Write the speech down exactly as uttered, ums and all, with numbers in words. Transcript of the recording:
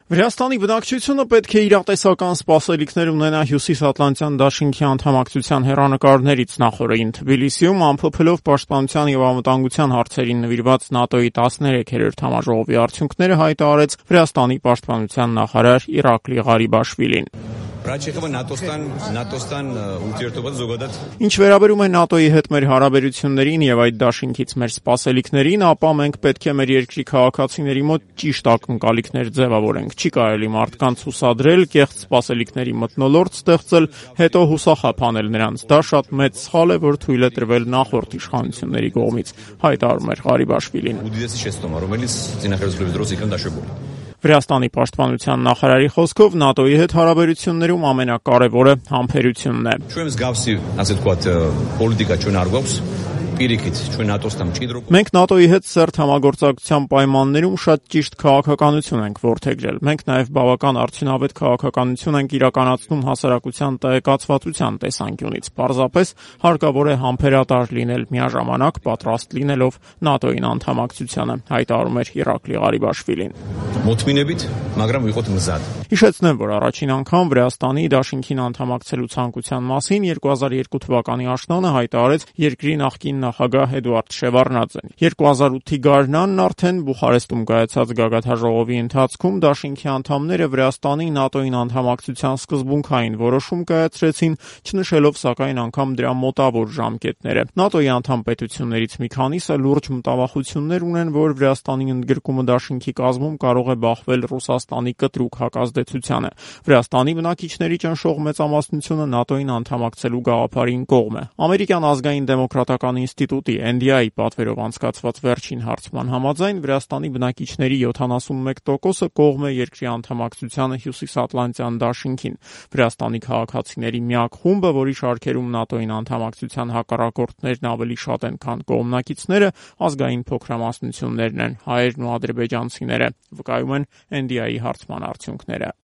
Վրաստանի բնակչությունը պետք է իրատեսական սպասելիքներ ունենա Հյուսիսատլանտյան դաշինքի անդամակցության հեռանկարներից նախօրեին Թբիլիսիում ամփոփելով պաշտպանության եւ անվտանգության հարցերին նվիրված ՆԱՏՕ-ի տասներեքերորդ համաժողովի արդյունքները հայտարարեց Վրաստանի պաշտպանության նախարար Իրակլի Ղարիբաշվիլին։ Ինչ վերաբերում է ՆԱՏՕ-ի հետ մեր հարաբերություններին եւ այդ դաշինքից մեր սպասելիքներին, ապա մենք պետք է մեր երկրի քաղաքացիների մոտ ճիշտ ակնկալիքներ ձևավորենք։ Չի կարելի մարդկանց հուսադրել, կեղծ սպասելիքների մթնոլորտ ստեղծել, հետո հուսախաբ անել նրանց։ Դա շատ մեծ սխալ է, որ թույլ է տրվել նախորդ իշխանությունների կողմից, հայտարարում էր Ղարիբաշվիլին։ Վրաստանի պաշտպանության նախարարի խոսքով ՆԱՏՕ-ի հետ հարաբերություններում ամենակարևորը համբերությունն է։ Մենք ՆԱՏՕ-ի հետ սերտ համագործակցության պայմաններում շատ ճիշտ քաղաքականություն ենք որդեգրել։ Մենք նաև բավական արդյունավետ քաղաքականություն ենք իրականացնում հասարակության տեղեկացվածության տեսանկյունից։ Պարզապես հարկավոր է համբերատար լինել, միաժամանակ պատրաստ լինելով ՆԱՏՕ-ին անդամակցությանը, հայտարարում էր Իրակլի Ղարիբաշվիլին։ Հիշեցնեմ, որ առաջին անգամ Վրաստանի դաշինքին անդամակցելու ցանկության մասին երկու հազար երկու թվականի աշնանը հայտարարեց երկրի նախկին նախագահ Էդուարդ Շևարդնաձեն։ երկու հազար ութի գարնանն արդեն Բուխարեստում կայացած գագաթնաժողովի ընթացքում դաշինքի անդամները Վրաստանի ՆԱՏՕ-ին անդամակցության սկզբունքային որոշում կայացրեցին, չնշելով սակայն անգամ դրա մոտավոր ժամկետները։ ՆԱՏՕ-ի անդամ պետություններից մի քանիսը լուրջ մտավախություններ ունեն, որ Վրաստանի ընդգրկումը դաշինքի կազմում կարող է բախվել Ռուսաստանի կտրուկ հակազդեցությանը։ Վրաստանի բնակիչների ճնշող մեծամասնությունը ՆԱՏՕ-ին անդամակցելու գաղափարին կողմ է։ Ամերիկյան ազգային դեմոկրատական ինստիտուտի Էն Դի Էյ-ի պատվերով անցկացված վերջին հարցման համաձայն Վրաստանի բնակիչների յոթանասունմեկ տոկոսը կողմ է երկրի անդամակցությանը Հյուսիսատլանտյան դաշինքին։ Վրաստանի քաղաքացիների միակ խումբը, որի շարքերում ՆԱՏՕ-ին անդամակցության հակառակորդներն ավելի շատ են, քան կողմնակիցները, ազգային փոքրամասնություններն են՝ հայերն ու ադրբեջանցիները, վկայում են Էն Դի Էյ-ի հարցման արդյունքները։